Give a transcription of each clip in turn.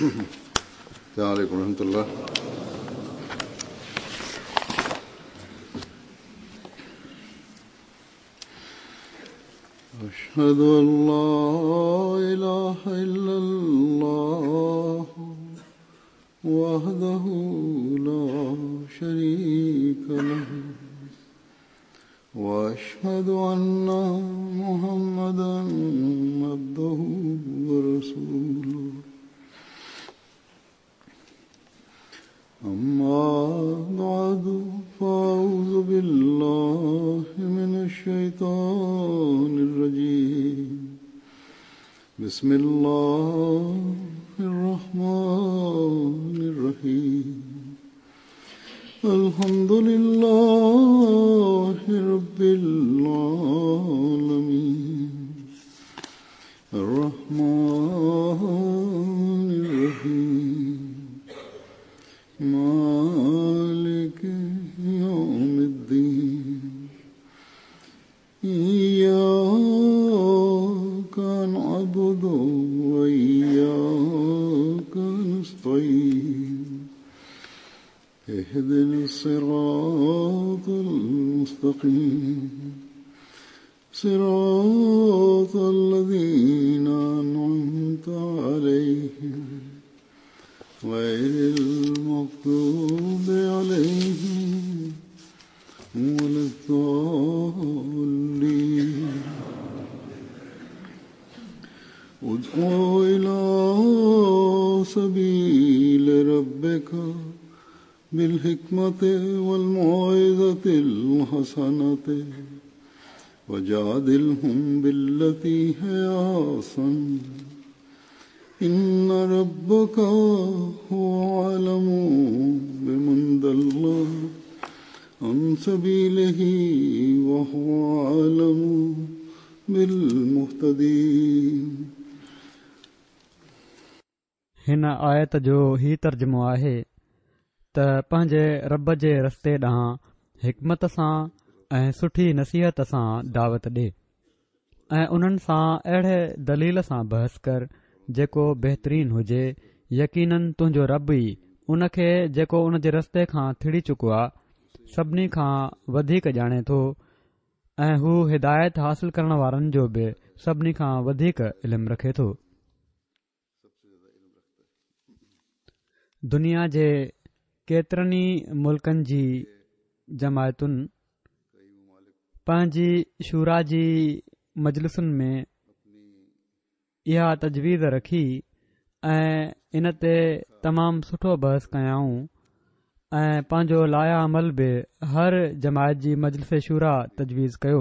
السلام عليڪم ورحمة الله. أشهد أن لا إله إلا الله وحده لا شريك له وأشهد أن محمدا عبده ورسوله أما بعد فأعوذ بالله من الشيطان الرجيم بسم الله الرحمن الرحيم الحمد لله رب العالمين الرحمن الرحيم مالك يوم الدين إياك نعبد وإياك نستعين اهدنا الصراط المستقيم صراط الذين أنعمت عليهم غير المغضوب عليهم ولا الضالين ادع إلى سبيل ربك بالحكمة والموعظة الحسنة وجادلهم بالتي هي أحسن إن ربك هو أعلم بمن ضل عن سبيله وهو أعلم بالمهتدين. هن آيت جو هي ترجمو آهي ته پنهنجي رب جي رستي ڏانهن حڪمت سان ۽ سٺي نصيحت سان دعوت ڏي ۽ انهن سان اهڙي دليل سان بحث ڪر جيڪو بهترين هجي يقيناً تنهنجو رب ئي ان کي جيڪو ان جي رستي کان ٿڙي چڪو آ سڀني کان وڌيڪ ڄاڻي ٿو ۽ هو هدايت حاصل ڪرڻ وارن جو به سڀني کان وڌيڪ علم رکي ٿو. دنيا جي ڪيترن ئي ملڪن جي جماعتن پنهنجي شوريٰ جي مجلسن ۾ اها تجويز رکي ۽ ان تي تمام سٺو بحث ڪيائون ۽ پنهنجو لائحه عمل به هر جماعت جي مجلس شوريٰ تجويز ڪيو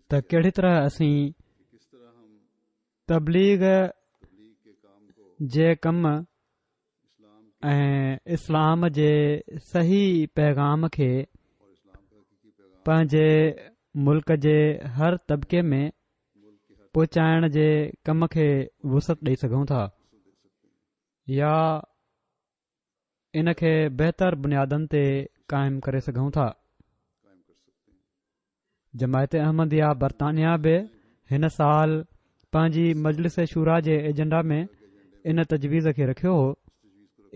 ته ڪهڙي طرح اسين تبليغ جي ڪم ۽ اسلام جي صحيح پيغام کي پنهنجي ملڪ جي هر طبقي ۾ پهچائڻ جي ڪم کي وسعت ڏئي سگهون ٿا يا ان کي بهتر بنيادن تي قائم ڪري سگهون ٿا. جماعت احمديه برطانيه به هن سال پنهنجي مجلس شوريٰ جي ايجنڊا ۾ ان تجويز کي رکيو هو.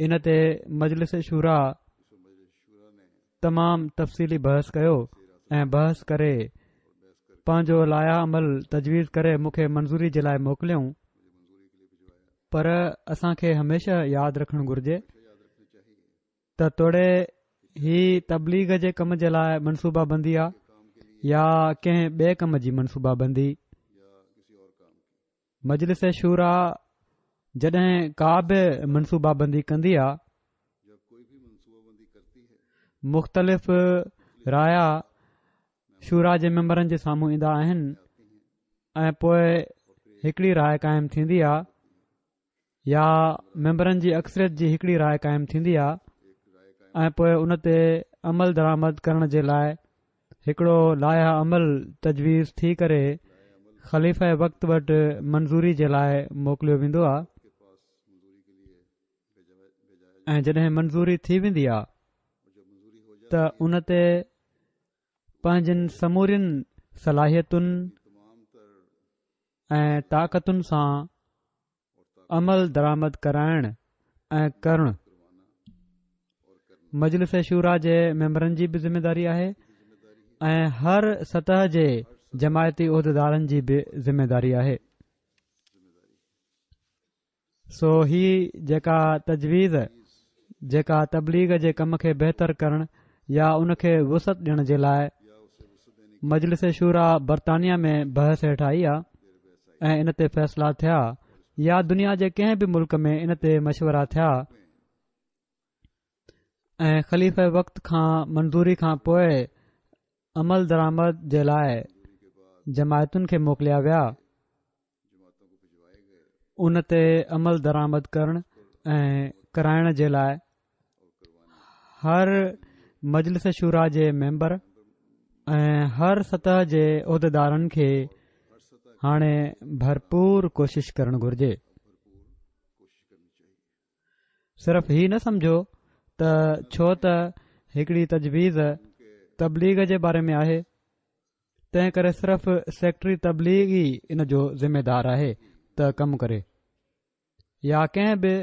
ان تي مجلس شوريٰ تمام تفصيلي بحث ڪيو ۽ بحث ڪري پنهنجو لائحه عمل تجويز ڪري مون کي منظوري جي لاء موڪليائون. پر اسان کي هميشه ياد رکڻ گهرجي ته توڙي هي تبليغ جي ڪم جي لاء منصوبه بندي آ يا ڪنهن ٻئي ڪم جي منصوبه بندي، مجلس شوريٰ جڏهن ڪا به منصوبه بندي ڪندي آ، مختلف رايا شوريٰ جي ميمبرن جي سامهون ايندا آهن ۽ پوء هڪڙي راء قائم ٿيندي آ يا ميمبرن جي اڪثريت جي هڪڙي راء قائم ٿيندي آ ۽ پوء ان تي عمل درآمد ڪرڻ جي لاء هڪڙو لائحه عمل تجويز ٿي ڪري خليفه وقت وٽ منظوري جي لاء موڪليو ويندو آ ۽ جڏهن منظوري ٿي ويندي آ ته ان تي پنهنجين سمورين صلاحيتن ۽ طاقتن سان عمل درآمد ڪرائڻ ۽ ڪرڻ مجلس شوريٰ جي ميمبرن جي به ذميداري آهي ۽ هر سطح جي جماعتي عهديدارن جي به ذميداري آهي. سو هي جيڪا تجويز جيڪا تبليغ جي ڪم کي بهتر ڪرڻ يا ان کي وسعت ڏيڻ جي لاء مجلس شوريٰ برطانيا ۾ بحث هيٺ آئي آ ۽ ان تي فيصلا ٿيا يا دنيا جي ڪنهن به ملڪ ۾ ان تي مشورا ٿيا ۽ خليفه وقت کان منظوري کان پوء عمل درآمد جي لاء جماعتن کي موڪليا ويا ان تي عمل درآمد ڪرڻ ۽ ڪرائڻ جي لاء هر مجلس شوريٰ جي ميمبر ۽ هر سطح جي عهديدارن کي هاڻي ڀرپور ڪوشش ڪرڻ گهرجي. صرف هي نه سمجهو ته ڇو ته هڪڙي تجويز تبليغ جي باري ۾ آهي تنهن ڪري صرف سيڪريٽري تبليغ ئي ان جو ذميدار آهي ته ڪم ڪري يا ڪنهن به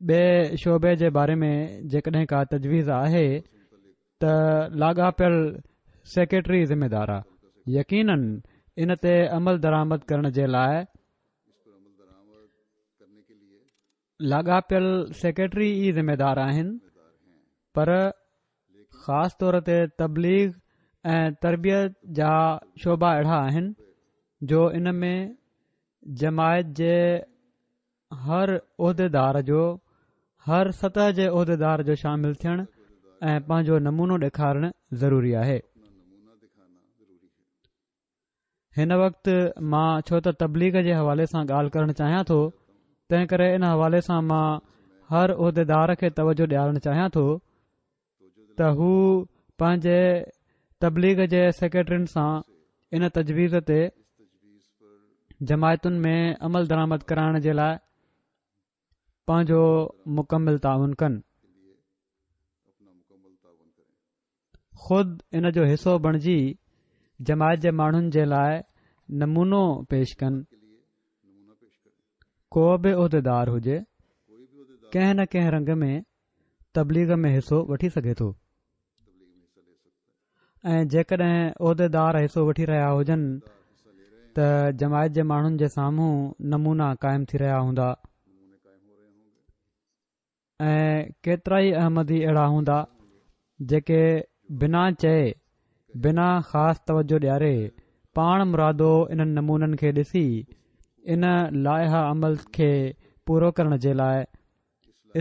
ٻئي شعبي جي باري ۾ جيڪڏهن ڪا تجويز آهي ته لاڳاپيل سيڪريٽري ذميدار آهي يقينن ان تي عمل درآمد ڪرڻ جي لاء لاڳاپيل سيڪريٽري ئي ذميدار آهن پر خاص طور تي تبليغ ۽ تربيت جا شعبا اهڙا آهن جو ان ۾ جماعت جي هر عهديدار جو هر سطح جي عهديدار جو شامل ٿيڻ ۽ پنهنجو نمونو ڏيکارڻ ضروري آهي. هن وقت مان ڇو ته تبليغ جي حوالي سان ڳالهه ڪرڻ چاهيان ٿو تنهن ڪري ان حوالي سان مان هر عهديدار کي توجه ڏيارڻ چاهيان ٿو ته هو پنهنجي تبليغ جي سيڪريٽرين سان ان تجويز تي جماعتن ۾ عمل درآمد ڪرائڻ جي لاء پنهنجو مڪمل تعاون ڪن. خود ان جو حصو بڻجي جماعت جي ماڻهن جي لاء نمونو پيش ڪن. ڪو به عهديدار هجي ڪنهن نه ڪنهن رنگ ۾ تبليغ ۾ حصو وٺي سگهي ٿو ۽ جيڪڏهن عهديدار حصو وٺي رهيا هجن ته جماعت جي ماڻهن جي سامهون نمونا قائم ٿي رهيا هوندا. ۽ ڪيترائي احمدي اهڙا هوندا جيڪي بنا چئي بنا خاص توجه ڏياري پاڻ مرادو انهن نمونن کي ڏسي ان لائحه عمل کي پورو ڪرڻ جي لاء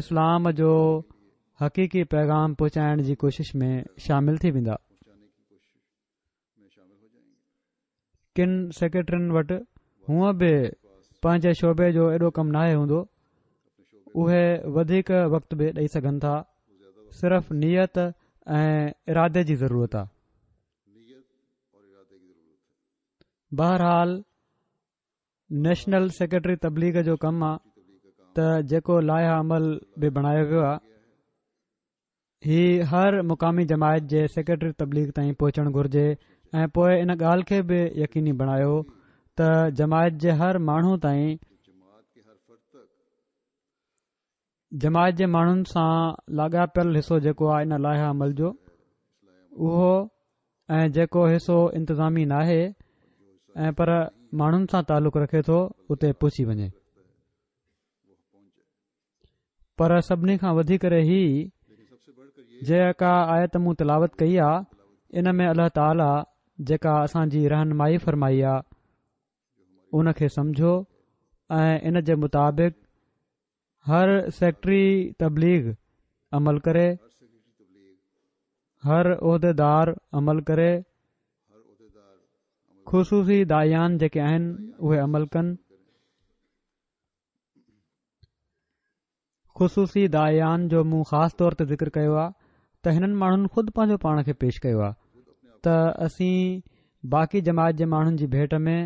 اسلام جو حقيقي پيغام پهچائڻ جي ڪوشش ۾ شامل ٿي ويندا. ڪن سيڪريٽرين وٽ هونء به پنهنجي شعبي جو ايڏو ڪم ناهي هوندو اهي وڌيڪ وقت به ڏئي سگهن ٿا صرف نيت ۽ ارادي جي ضرورت آهي بهرحال نيشنل سيڪريٽري تبليغ جو ڪم آ ته جيڪو لائحه عمل به بڻايو ويو آ هي هر مقامي جماعت جي سيڪريٽري تبليغ تائين پهچڻ گهرجي ۽ پوء ان ڳالهه کي به يقيني بڻايو ته جماعت جي هر ماڻهو تائين جماعت جي ماڻهن سان لاڳاپيل حصو جيڪو آهي ان لائحه عمل جو اهو ۽ جيڪو حصو انتظامي ناهي ۽ پر ماڻهن سان تعلق رکي ٿو اتي پهچي وڃي. پر سڀني کان وڌي ڪري هي جيڪا آيت مون تلاوت ڪئي آ ان ۾ الله تعاليٰ جيڪا اسان جي رهنمائي فرمائي آ ان کي سمجهو ۽ ان جي مطابق هر سيڪريٽري تبليغ عمل ڪري هر عهديدار عمل ڪري خصوصي داعيان جيڪي آهن اهي عمل ڪن خصوصي داعيان جو مون خاص طور تي ذڪر ڪيو آهي ته هنن ماڻهن خود پنهنجو پاڻ کي پيش ڪيو آهي ته اسين باقي جماعت جي ماڻهن جي ڀيٽ ۾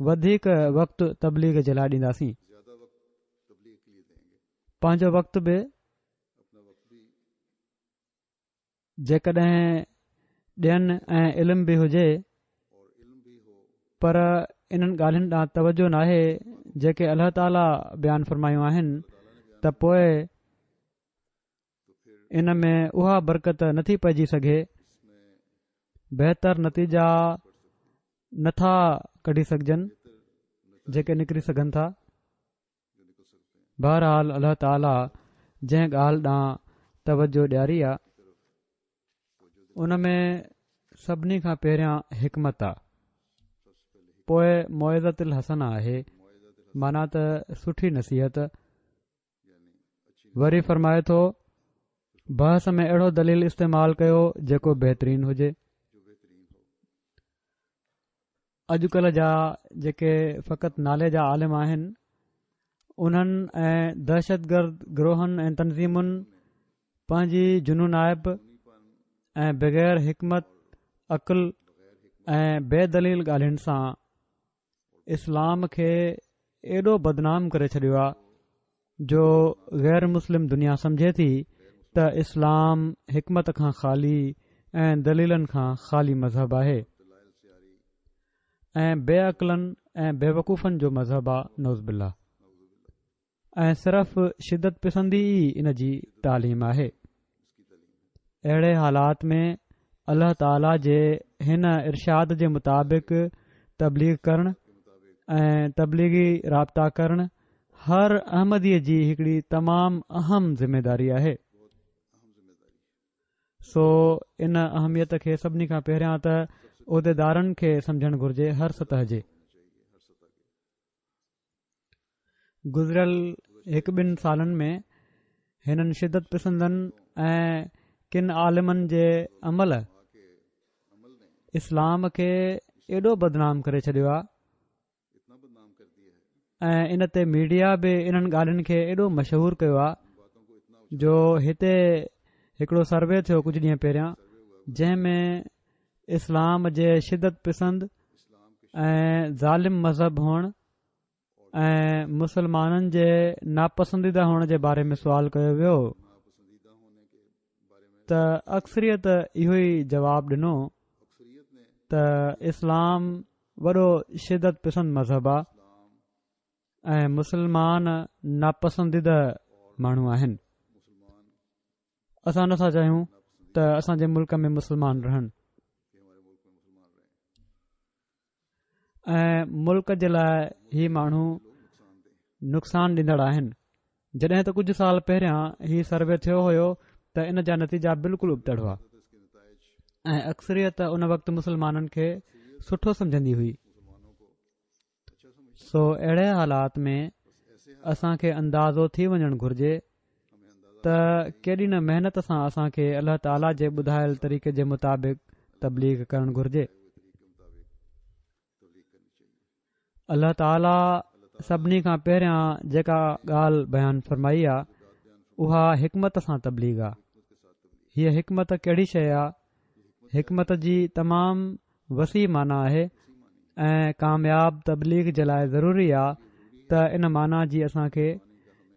وڌيڪ وقت تبليغ جي لاء ڏينداسين پنهنجو وقت به جيڪڏهن ڏين ۽ علم به هجي پر انهن ڳالهين ڏانهن توجه ناهي جيڪي الله تعاليٰ بيان فرمايون آهن ته پوء ان ۾ اها برڪت نٿي پئجي سگهي، بهتر نتيجا نٿا ڪڍي سگهجن جيڪي نڪري سگهن ٿا. بهرحال الله تعاليٰ جنهن ڳالهه ڏانهن توجه ڏياري آ ان ۾ سڀني کان پهريان حڪمت آ، پوء موعظة الحسنه آهي، معنيٰ ته سٺي نصيحت. وري فرمائي ٿو، بحث ۾ اهڙو دليل استعمال ڪيو جيڪو بهترين هجي. اڄڪلهه جا جيڪي فقط نالي جا عالم آهن انهن ۽ دهشتگرد گروهن ۽ تنظيمن پنهنجي جنونائپ ۽ بغير حڪمت عقل ۽ بي دليل ڳالهين سان اسلام کي ايڏو بدنام ڪري ڇڏيو آ جو غير مسلم دنيا سمجهي ٿي ته اسلام حڪمت کان خالي ۽ دليلن کان خالي مذهب آهي ۽ بي عقلن ۽ بيوقوفن جو مذهب آ نعوذ بالله ۽ صرف شدت پسندي ئي ان جي تعليم آهي. اهڙي حالات ۾ الله تعاليٰ جي هن ارشاد جي مطابق تبليغ ڪرڻ ۽ تبليغي رابطا ڪرڻ هر احمديء جي هڪڙي تمام اهم ذميداري آهي. سو ان اهميت کي سڀني کان پهريان ته عهديدارن کي سمجهڻ گهرجي هر سطح جي. گذريل هڪ ٻن سالن ۾ هنن شدت پسندن ۽ ڪن عالمن جي عمل اسلام کي ايڏو بدنام ڪري ڇڏيو آهي ۽ ان تي ميڊيا به انهن ڳالهين کي ايڏو مشهور ڪيو آهي جو هتي هڪڙو سروي ٿيو ڪجهه ڏينهن پهريان جنهن ۾ اسلام جي شدت پسند ۽ ظالم مذهب هئڻ ۽ مسلمانن جي ناپسنديده هئڻ جي باري ۾ سوال ڪيو ويو ته اڪثريت اهو ئي جواب ڏنو ته اسلام وڏو شدت پسند مذهب آ ۽ مسلمان ناپسنديده ماڻهو آهن. اسان نٿا چاهيون ته اسان جي ملڪ ۾ مسلمان رهن ۽ ملڪ جي لاء هي ماڻهو نقصان ڏيندڙ آهن جڏهن ته ڪجهه سال پهريان هي سروي ٿيو هيو ته ان جا نتيجا بلڪل ابتڙ هئا ۽ اڪثريت ان وقت مسلمانن کي سٺو سمجهندي هئي سو اهڙي حالات ۾ اسان کي اندازو ٿي وڃڻ گهرجي ته ڪيڏي نه محنت سان اسان کي الله تعاليٰ جي ٻڌايل طريقي جي مطابق تبليغ ڪرڻ گهرجي. الله تعاليٰ سڀني کان پهريان جيڪا ڳالهه بيان فرمائي آ اها حڪمت سان تبليغ آ. هيء حڪمت ڪهڙي شيء آ؟ حڪمت جي تمام وسيع معنيٰ آهي ۽ ڪامياب تبليغ جي لاء ضروري آ ته ان معنيٰ جي اسان کي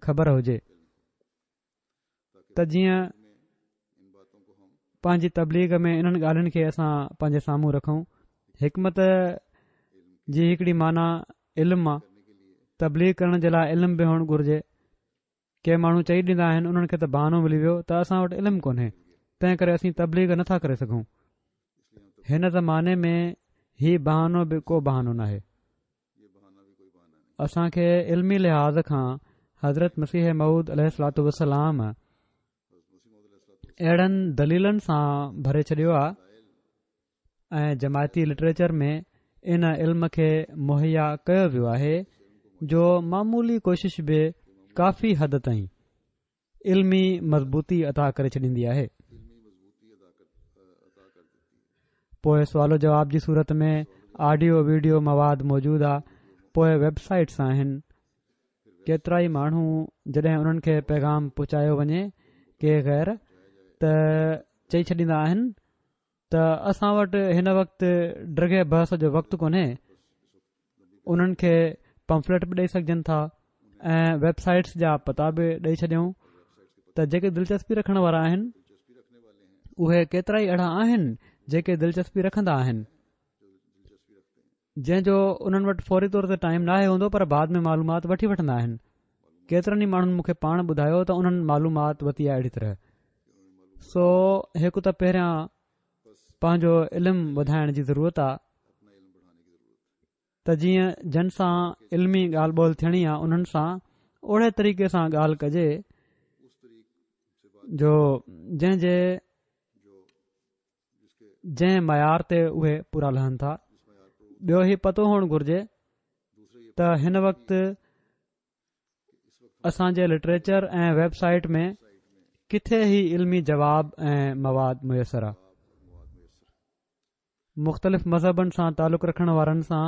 خبر هجي ته جيئن پنهنجي تبليغ ۾ انهن ڳالهين کي اسان پنهنجي سامهون رکون حڪمت جي هڪڙي معنيٰ علم آ تبليغ ڪرڻ جي لاء علم به هئڻ گهرجي ڪي ماڻهو چئي ڏيندا آهن انهن کي ته بهانو ملي ويو ته اسان وٽ علم ڪونهي تنهن ڪري اسين تبليغ نٿا ڪري سگهون هن زماني ۾ هي بهانو به ڪو بهانو ناهي اسان کي علمي لحاظ کان حضرت مسيح موعود عليه الصلوة والسلام اهڙن دليلن سان ڀري ڇڏيو آهي ۽ جماعتي لٽريچر ۾ ان علم کي مهيا ڪيو ويو آهي جو معمولي ڪوشش به ڪافي حد تائين علمي مضبوطي عطا ڪري ڇڏيندي آهي. پوء سوال و جواب جي صورت ۾ آڊيو ويڊيو مواد موجود آ پوء ويب سائيٽس آهن ڪيترائي ماڻهو جڏهن انهن کي پيغام پهچايو وڃي ڪي غير ته چئي ڇڏيندا آهن ته اسان وٽ هن وقت ڊگهي بحث جو وقت ڪونهي انهن کي پمفليٽ به ڏئي سگهجن ٿا ۽ ويب سائيٽس جا پتا به ڏئي ڇڏيون ته جيڪي دلچسپي رکڻ وارا آهن اهي ڪيترا ئي اهڙا آهن جيڪي دلچسپي رکندا آهن. جنهن جو انهن وٽ فوري طور تي ٽائيم ناهي هوندو پر بعد ۾ معلومات وٺي وٺندا آهن. ڪيترن ئي ماڻهن مون کي پاڻ ٻڌايو ته انهن معلومات ورتي آهي اهڙي طرح. سو هڪ ته پهريان پنهنجو علم وڌائڻ جي ضرورت آ ته جيئن جن سان علمي ڳالهه ٻولهه ٿيڻي آ انهن سان اهڙي طريقي سان ڳالهه ڪجي جو جنهن جي جنهن معيار تي اهي پورا لهن ٿا. ٻيو هي پتو هئڻ گهرجي ته هن وقت اسان جي لٽريچر ۽ ويب سائيٽ ۾ ڪٿي هي علمي جواب ۽ مواد ميسر آهي. مختلف مذهبن سان تعلق رکڻ وارن سان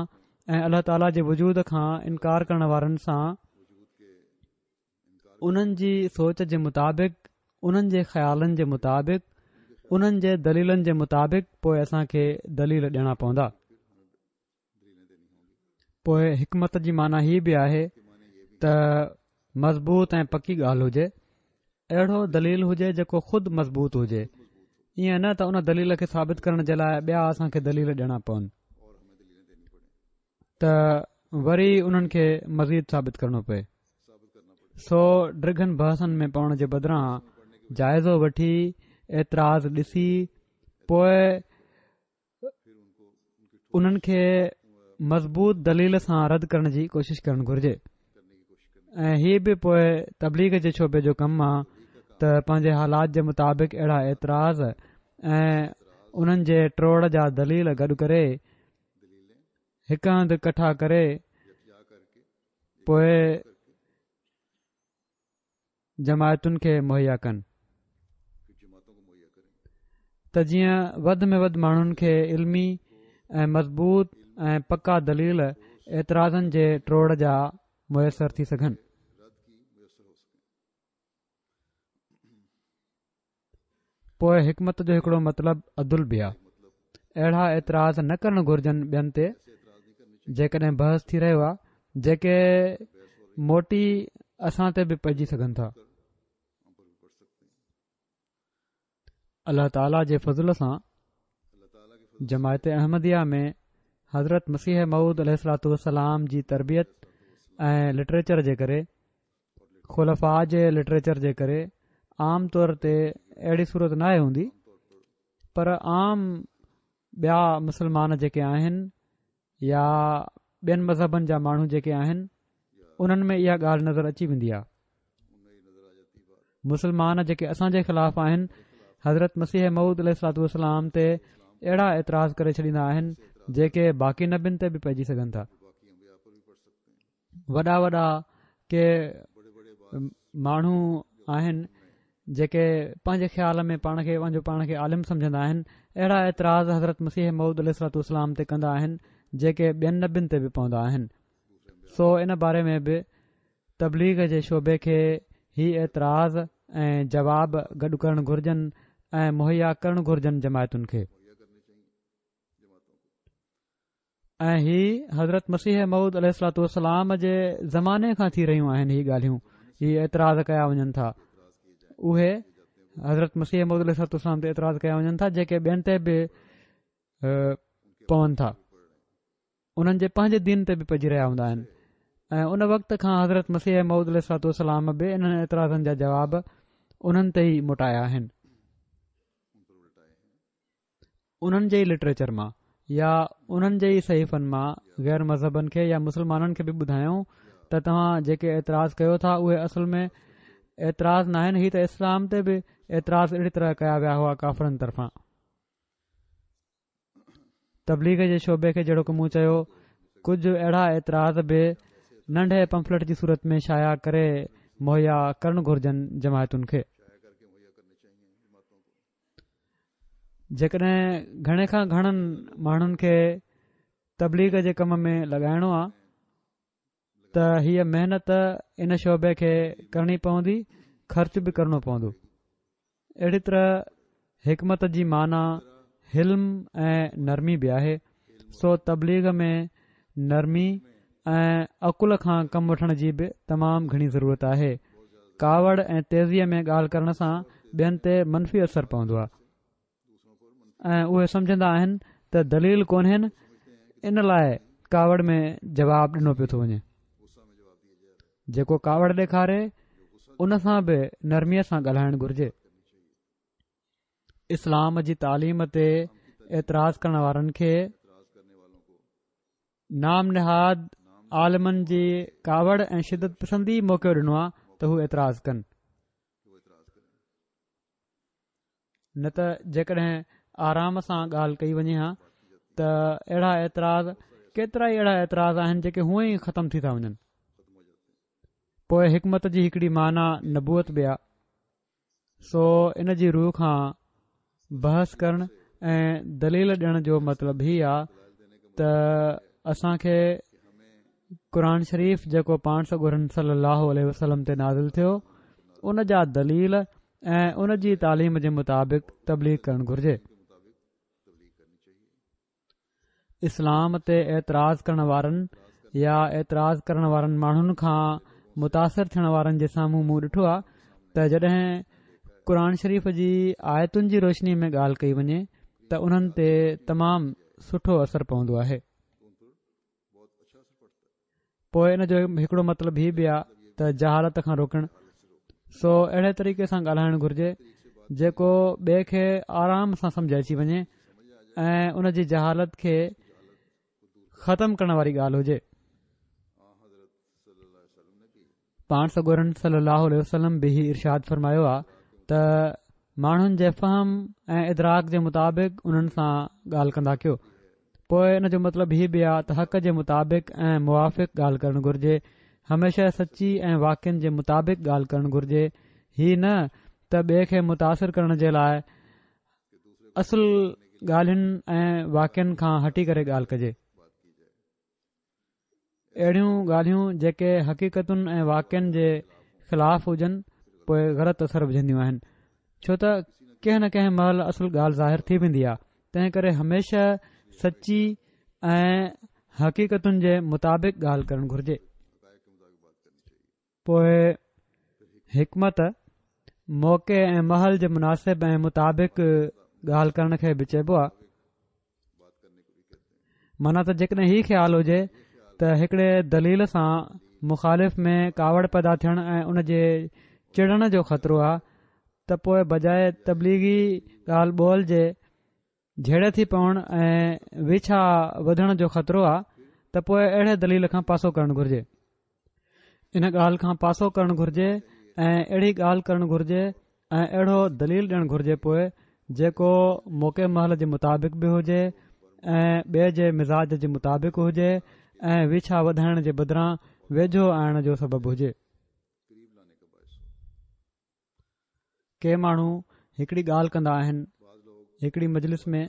۽ الله تعاليٰ جي وجود کان انڪار ڪرڻ وارن سان انهن جي سوچ جي مطابق، انهن جي خيالن جي مطابق، انهن جي دليلن جي مطابق پوء اسان کي دليل ڏيڻا پوندا. پوء حڪمت جي معنيٰ هي به آهي ته مضبوط ۽ پڪي ڳالهه هجي، اهڙو دليل هجي جيڪو خود مضبوط هجي، ائين نه ته ان دليل کي ثابت ڪرڻ جي لاء ٻيا اسان کي دليل ڏيڻا پون. ته وري انهن کي مزيد ثابت ڪرڻو پئي. سو ڊگهن بحثن ۾ پوڻ جي بدران جائزو وٺي اعتراض ڏسي پوء انهن کي مضبوط دليل سان رد ڪرڻ جي ڪوشش ڪرڻ گهرجي ۽ هي به پوء تبليغ جي شعبي جو ڪم آ ته پنهنجي حالات جي مطابق اهڙا اعتراض ۽ انهن جي ٽوڙ جا دليل گڏ ڪري هڪ هنڌ ڪٺا ڪري پوء جماعتن کي مهيا ڪن ته جيئن وڌ ۾ وڌ ماڻهن کي علمي ۽ مضبوط ۽ پڪا دليل اعتراضن جي ٽوڙ جا ميسر ٿي سگهن. پوء حڪمت جو هڪڙو مطلب عدل به آ. اهڙا اعتراض نه ڪرڻ گهرجن ٻين تي جيڪڏهن بحث ٿي رهيو آ جيڪي موٽي اسان تي به پئجي سگهن ٿا. الله تعاليٰ جي فضل سان جماعت احمديه ۾ حضرت مسيح موعود عليه الصلوة والسلام جي تربيت ۽ لٽريچر جي ڪري خلفاء جي لٽريچر جي ڪري عام طور تي اهڙي صورت ناهي هوندي پر عام ٻيا مسلمان جيڪي آهن يا ٻين مذهبن جا ماڻهو جيڪي آهن انهن ۾ اها ڳالهه نظر اچي ويندي آهي مسلمان جيڪي اسان جي خلاف آهن حضرت مسيح موعود عليه الصلوة والسلام تي اهڙا اعتراض ڪري ڇڏيندا آهن جيڪي باقي نبين تي به پئجي سگهن ٿا وڏا وڏا ڪي ماڻهو آهن جيڪي پنهنجي خيال ۾ پاڻ کي پنهنجو پاڻ کي عالم سمجهندا آهن اهڙا اعتراض حضرت مسيح موعود عليه الصلوة والسلام تي ڪندا آهن جيڪي ٻين نبين تي به پوندا آهن سو ان باري ۾ به تبليغ جي شعبي کي هي اعتراض ۽ جواب گڏ ڪرڻ گهرجن ۽ مهيا ڪرڻ گهرجن جماعتن کي. ۽ هي حضرت مسيح موعود عليه الصلوة والسلام جي زماني کان ٿي رهيون آهن هي ڳالهيون هي اعتراض ڪيا وڃن ٿا اهي حضرت مسيح موعود عليه الصلوة والسلام تي اعتراض ڪيا وڃن ٿا جيڪي ٻين تي به پون ٿا انهن جي پنهنجي دين تي به پئجي رهيا هوندا آهن ۽ ان وقت کان حضرت مسيح موعود عليه الصلوة والسلام به انهن اعتراضن جا جواب انهن تي ئي موٽايا آهن انهن جي ئي لٽريچر مان يا انهن جي ئي صحيفن مان غير مذهبن کي يا مسلمانن کي به ٻڌايون ته توهان جيڪي اعتراض ڪيو ٿا اهي اصل ۾ اعتراض ناهن هي ته اسلام تي به اعتراض اهڙي طرح ڪيا ويا هئا ڪافرن طرفان تبليغ جي شعبي کي جهڙوڪ مون چيو ڪجهه اهڙا اعتراض به ننڍي پمفلٽ جي صورت ۾ شايع ڪري مهيا ڪرڻ گهرجن جماعتن کي جيڪڏهن گهڻي کان گهڻن ماڻهن کي تبليغ جي ڪم ۾ لڳائڻو آ ته هيء محنت ان شعبي کي ڪرڻي پوندي خرچ به ڪرڻو پوندو اهڙي طرح حڪمت جي معنيٰ حلم ۽ نرمي به آهي سو تبليغ ۾ نرمي ۽ عقل کان ڪم وٺڻ جي به تمام گهڻي ضرورت آهي. ڪاوڙ ۽ تيزيء ۾ ڳالهه ڪرڻ سان ٻين تي منفي اثر پوندو آهي ۽ اهي سمجهندا آهن ته دليل ڪونهن ان لاء ڪاوڙ ۾ جواب ڏنو پيو ٿو وڃي. جيڪو ڪاوڙ ڏيکاري ان سان به نرميء سان ڳالهائڻ گهرجي. اسلام جي تعليم تي اعتراض ڪرڻ وارن کي نام نهاد عالمن جي ڪاوڙ ۽ شدت پسندي موقعو ڏنو آهي ته هو اعتراض ڪن. نه ته جيڪڏهن آرام سان ڳالهه ڪئي وڃي ها ته اهڙا اعتراض ڪيترا ئي اهڙا اعتراض آهن جيڪي هونئن ئي ختم ٿي ٿا وڃن. پوء حڪمت جي هڪڙي معنيٰ نبوت به آ. سو ان جي رو کان بحث ڪرڻ ۽ دليل ڏيڻ جو مطلب هي آ ته اسان کي قرآن شريف جيڪو پاڻ سڳورن صلي الله عليه وسلم تي نازل ٿيو ان جا دليل ۽ ان جي تعليم جي مطابق تبليغ ڪرڻ گهرجي. اسلام تي اعتراض ڪرڻ وارن يا اعتراض ڪرڻ وارن ماڻهن کان متاثر ٿيڻ وارن جي سامهون مون ڏٺو آهي ته جڏهن قرآن شريف جي آيتن جي روشني ۾ ڳالهه ڪئي وڃي ته انهن تي تمام سٺو اثر پوندو آهي. پوء ان جو هڪڙو مطلب هي به آ ته جهالت کان روڪڻ سو اهڙي طريقي سان ڳالهائڻ گهرجي جيڪو ٻئي کي آرام سان سمجه اچي وڃي ۽ ان جي جهالت کي ختم ڪرڻ واري ڳالهه هجي پاڻ سڳورن صلي الله عليه وسلم به هي ارشاد فرمايو آ ته ماڻهن جي فهم ۽ ادراڪ جي مطابق انهن سان ڳالهه ڪندا ڪيو پوء ان جو مطلب هي به آ ته حق جي مطابق ۽ موافق ڳالهه ڪرڻ گهرجي هميشه سچي ۽ واقعن جي مطابق ڳالهه ڪرڻ گهرجي هي نه ته ٻئي کي متاثر ڪرڻ جي لاء اصل ڳالهين ۽ واقعن کان هٽي ڪري ڳالهه ڪجي. اهڙيون ڳالهيون جيڪي حقيقتن ۽ واقعن جي خلاف هجن پوء غلط اثر وجهنديون آهن ڇو ته ڪنهن نه ڪنهن مهل اصل ڳالهه ظاهر ٿي ويندي آهي تنهن ڪري هميشه سچي ۽ حقيقتن جي مطابق ڳالهه ڪرڻ گهرجي. پوء حڪمت موقعي ۽ مهل جي مناسب ۽ مطابق ڳالهه ڪرڻ کي به چئبو آهي معنيٰ ته جيڪڏهن هي خيال هجي ته هڪڙي دليل سان مخالف ۾ ڪاوڙ پيدا ٿيڻ ۽ ان جي چڙڻ جو خطرو آهي ته پوء بجاء تبليغي ڳالهه ٻولهه جي جهيڙي ٿي پوڻ ۽ ويڇا وڌڻ جو خطرو آهي ته پوء اهڙي دليل کان پاسو ڪرڻ گهرجي ان ڳالهه کان پاسو ڪرڻ گهرجي ۽ اهڙي ڳالهه ڪرڻ گهرجي ۽ اهڙو دليل ڏيڻ گهرجي پوء جيڪو موقعي مهل جي مطابق به هجي ۽ ٻئي جي مزاج جي مطابق هجي ۽ ويڇا وڌائڻ جي بدران ويجهو آڻڻ جو سبب هجي. ڪي ماڻهو هڪڙي ڳالهه ڪندا آهن هڪڙي مجلس ۾.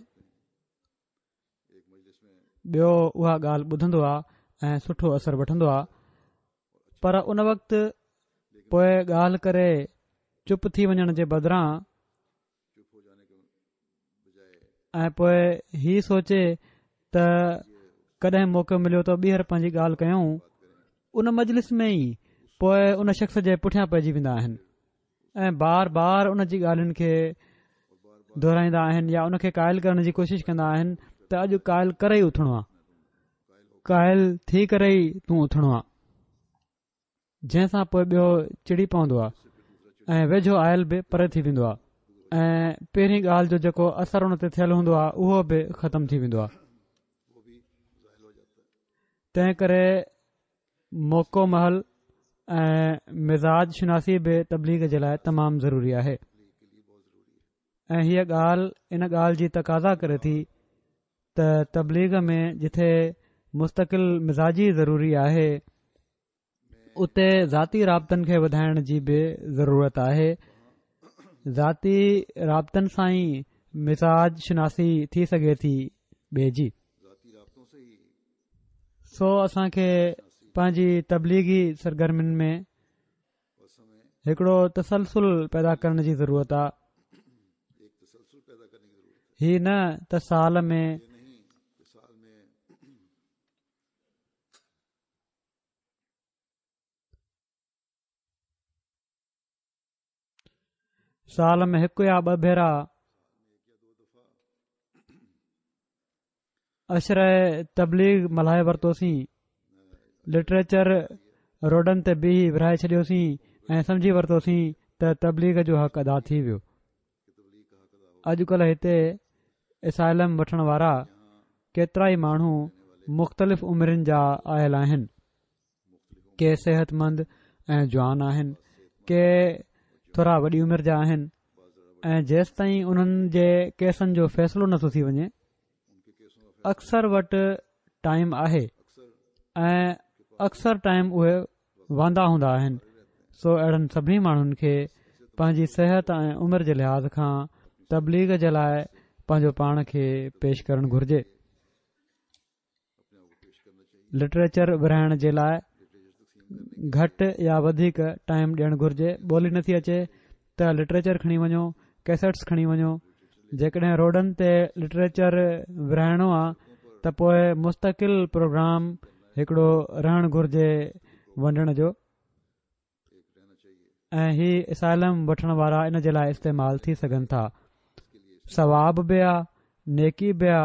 ٻيو اها ڳالهه ٻڌندو آهي ۽ سٺو اثر وٺندو آهي پر ان وقت پوء ڳالهه ڪري چپ ٿي وڃڻ جي بدران ۽ پوء هي سوچي ته ڪڏهن موقعو مليو ته ٻيهر پنهنجي ڳالهه ڪيون ان مجلس ۾ ئي پوء ان شخص جي پٺيان پئجي ويندا آهن ۽ بار بار ان جي ڳالهين کي دهرائيندا آهن يا ان کي قائل ڪرڻ جي ڪوشش ڪندا آهن ته اڄ قائل ڪري ئي اٿڻو آ قائل ٿي ڪري ئي تون اٿڻو آ جنهن سان پوء ٻيو چڙي پوندو آ ۽ ويجهو آيل به پري ٿي ويندو آ ۽ پهرين ڳالهه جو جيڪو اثر ان تي ٿيل هوندو آ اهو به ختم ٿي ويندو آ تنهن ڪري موقعو مهل ۽ مزاج شناسي به تبليغ جي لاء تمام ضروري آهي ۽ هيء ڳالهه ان ڳالهه جي تقاضا ڪري ٿي ته تبليغ ۾ جٿي مستقل مزاجي ضروري آهي اتي ذاتي رابطن کي وڌائڻ جي به ضرورت آهي ذاتي رابطن سان ئي مزاج شناسي ٿي سگهي ٿي ٻئي جي سو اسان کي پنهنجي تبليغي سرگرمين ۾ هڪڙو تسلسل پيدا ڪرڻ جي ضرورت آهي هي نه ته سال ۾ سال ۾ هڪ يا ٻه ڀيرا عشره تبليغ ملهائي ورتوسين، لٽريچر روڊن تي بيهي ورهائي ڇڏيوسين ۽ سمجهي ورتوسين ته تبليغ جو حق ادا ٿي ويو. اڄڪلهه هتي اسائلم وٺڻ وارا ڪيترائي ماڻهو مختلف عمرين جا آيل آهن. ڪي صحتمند ۽ جوان آهن، ڪي ٿورا وڏي عمر جا آهن ۽ جيستائين انهن جي ڪيسن جو فيصلو نٿو ٿي وڃي اڪثر وٽ ٽائيم آهي ۽ اڪثر ٽائيم اهي واندا هوندا آهن سو اهڙن سڀني ماڻهن کي پنهنجي صحت ۽ عمر جي لحاظ کان تبليغ جي لاء پنهنجو پاڻ کي پيش ڪرڻ گهرجي. لٽريچر ورهائڻ جي لاء گهٽ يا وڌيڪ ٽائيم ڏيڻ گهرجي ٻولي نٿي اچي ته لٽريچر کڻي وڃو ڪيسٽس کڻي وڃو جيڪڏهن روڊن تي لٽريچر ورهائڻو آ ته پوء مستقل پروگرام هڪڙو رهڻ گهرجي ونڊڻ جو ۽ هي اسائلم وٺڻ وارا ان جي لاء استعمال ٿي سگهن ٿا ثواب به آ نيڪي به آ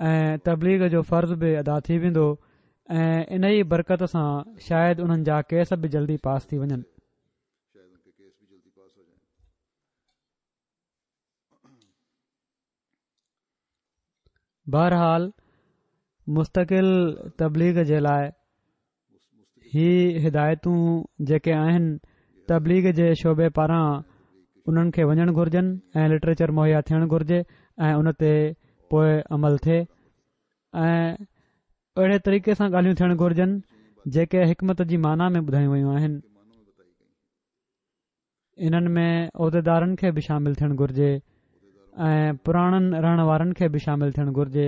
۽ تبليغ جو فرض به ادا ٿي ويندو ۽ ان ئي برڪت سان شايد انهن جا ڪيس به جلدي پاس ٿي وڃن. بهرحال مستقل تبليغ جي لاء هي هدايتون جيڪي آهن تبليغ جي شعبي پاران انهن کي وڃڻ گهرجن ۽ لٽريچر مهيا ٿيڻ گهرجي ۽ ان تي پوء عمل ٿئي ۽ اهڙي طريقي سان ڳالهيون ٿيڻ گهرجن جيڪي حڪمت جي معنيٰ ۾ ٻڌايون ويون آهن. انهن ۾ عهديدارن کي به شامل ٿيڻ گهرجي ۽ پراڻن رهڻ وارن کي به شامل ٿيڻ گهرجي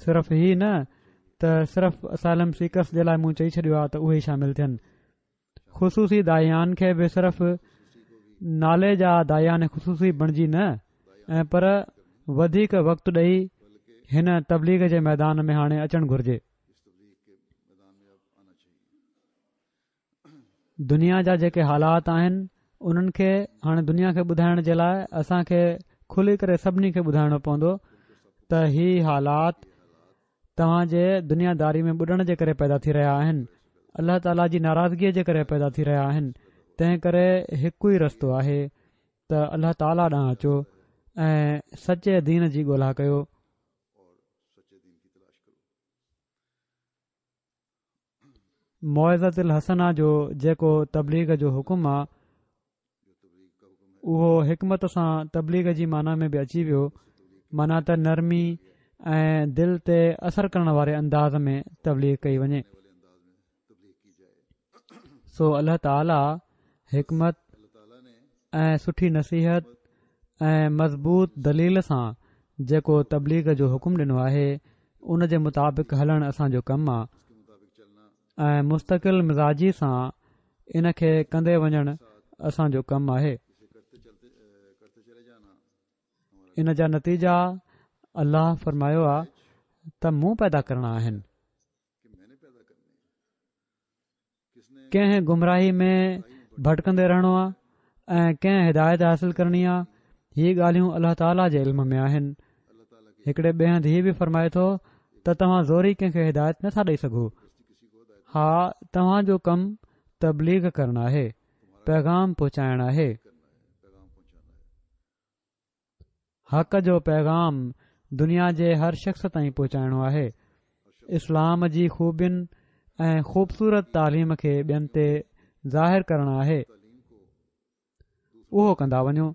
صرف هي نه ته صرف اسائلم سيڪرس جي لاء مون چئي ڇڏيو آهي ته اهي ئي شامل ٿين خصوصي داعيان کي به صرف نالي جا داعيان خصوصي بڻجي نه ۽ پر وڌيڪ وقت ڏئي هن تبليغ جي ميدان ۾ هاڻي اچڻ گهرجي. دنيا جا جيڪي حالات آهن انهن کي هاڻي دنيا کي ٻڌائڻ جي لاء اسان کي کلي ڪري سڀني کي ٻڌائڻو پوندو ته هي حالات توهان جي دنيا داري ۾ ٻڏڻ جي ڪري پيدا ٿي رهيا آهن الله تعاليٰ جي ناراضگيء جي ڪري پيدا ٿي رهيا آهن تنهن ڪري هڪ ئي رستو آهي ته الله تعاليٰ ڏانهن اچو ۽ سچي دين جي ڳولا ڪيو. موعظة الحسنه جو جيڪو تبليغ جو حڪم آ اهو حڪمت سان تبليغ جي معنيٰ ۾ به اچي ويو معنيٰ ته نرمي ۽ دل تي اثر ڪرڻ واري انداز ۾ تبليغ ڪئي وڃي سو الله تعاليٰ حڪمت ۽ سٺي نصيحت ۽ مضبوط دليل سان جيڪو تبليغ جو حڪم ڏنو آهي ان جي مطابق هلڻ اسان جو ڪم آ ۽ مستقل مزاجي سان ان کي ڪندي وڃڻ اسان جو ڪم آهي ان جا نتيجا الله فرمايو آ ته مون پيدا ڪرڻا آهن ڪنهن گمراهي ۾ ڀٽڪندي رهڻو آهي ۽ ڪنهن هدايت حاصل ڪرڻي آهي هي ڳالهيون الله تعاليٰ جي علم ۾ آهن هڪڙي ٻئي هنڌ هي به فرمائي ٿو ته توهان زوري ڪنهن کي هدايت نٿا ڏئي سگهو ها توهان جو ڪم تبليغ ڪرڻ آهي پيغام پهچائڻ آهي حق جو پيغام دنيا جي هر شخص تائين پهچائڻو آهي. اسلام جي خوبين ۽ خوبصورت تعليم کي ٻين تي ظاهر ڪرڻ آهي. اهو ڪندا وڃو.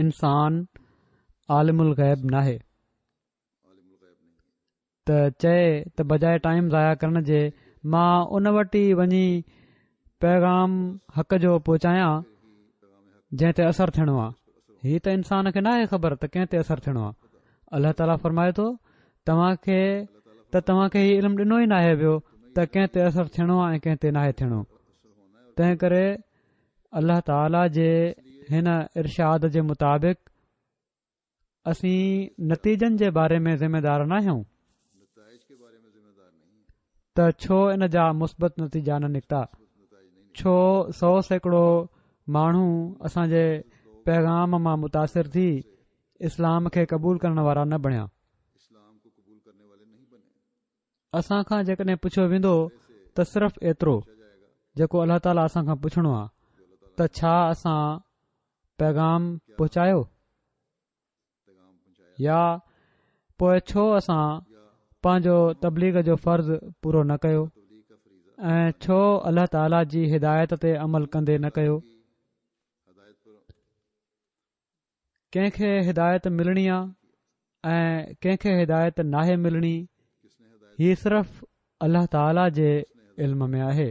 انسان عالم الغيب ناهي. ته چئي ته بجاء ٽائيم ضايع ڪرڻ جي مان ان وٽ ئي وڃي پيغام حق جو پهچايان جنهن تي اثر ٿيڻو آهي هي ته انسان کي ناهي خبر ته ڪنهن تي اثر ٿيڻو آهي الله تعاليٰ فرمائي ٿو توهان کي ته توهان کي هي علم ڏنو ئي ناهي ويو ته ڪنهن تي اثر ٿيڻو آهي ۽ ڪنهن تي ناهي ٿيڻو تنهن ڪري الله تعاليٰ جي هن ارشاد جي مطابق اسين نتيجن جي باري ۾ ذميدار ناهيون ته ڇو ان جا مثبت نتيجا نه نڪتا؟ ڇو 100% ماڻهو اسان جي پيغام مان متاثر ٿي اسلام کي قبول ڪرڻ وارا نه بڻيا؟ اسان کان جيڪڏهن پڇيو ويندو ته صرف ايترو جيڪو الله تعاليٰ اسان کان پڇڻو آهي ته ڇا اسان پيغام پهچايو يا پوء ڇو اسان پنهنجو تبليغ جو فرض پورو نه ڪيو ۽ ڇو الله تعاليٰ جي هدايت تي عمل ڪندي نه ڪيو؟ ڪنهن کي هدايت ملڻي آ ۽ ڪنهن کي هدايت ناهي ملڻي هي صرف الله تعاليٰ جي علم ۾ آهي.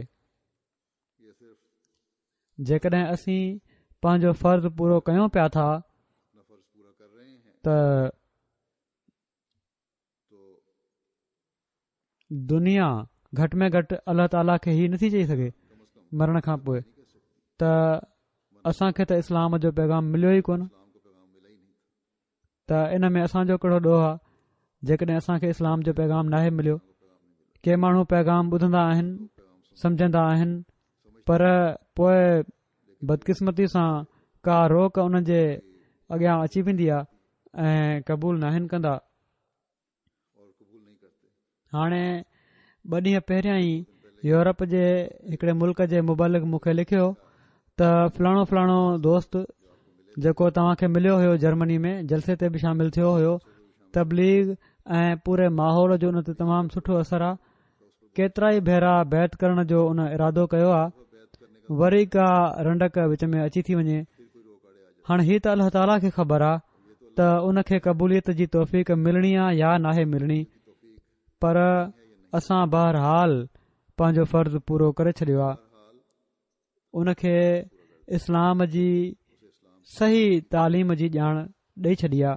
جيڪڏهن اسين پنهنجو فرض پورو ڪيون پيا ٿا ته دنيا گهٽ ۾ گهٽ الله تعاليٰ کي هي نٿي چئي سگهي مرڻ کان پوء ته اسان کي ته اسلام جو پيغام مليو ئي ڪونه ته ان ۾ اسان جو ڪهڙو ڏوهه آهي جيڪڏهن اسان کي اسلام جو پيغام ناهي مليو ڪي ماڻهو پيغام ٻڌندا آهن سمجهندا آهن پر پوء بدقسمتي سان ڪا روڪ انهن جي اڳيان اچي ويندي آهي ۽ قبول ناهن ڪندا هاڻي ٻه ڏينهن پهريان ئي يورپ جي هڪڙي ملڪ جي مبلغ مون کي لکيو ته فلاڻو فلاڻو دوست جيڪو توهان کي مليو هيو جرمني ۾ جلسي تي به شامل ٿيو هيو تبليغ ۽ پوري ماحول جو ان تي تمام سٺو اثر آ ڪيترا ئي ڀيرا بيعت ڪرڻ جو ان ارادو ڪيو آ وري ڪا رنڊڪ وچ ۾ اچي ٿي وڃي هاڻ هي ته الله تعاليٰ کي خبر آ ته ان کي قبوليت جي توفيق ملڻي آ يا ناهي ملڻي پر اسان بهرحال پنهنجو فرض پورو ڪري ڇڏيو آ ان کي اسلام جي صحيح تعليم جي ڄاڻ ڏئي ڇڏي آ.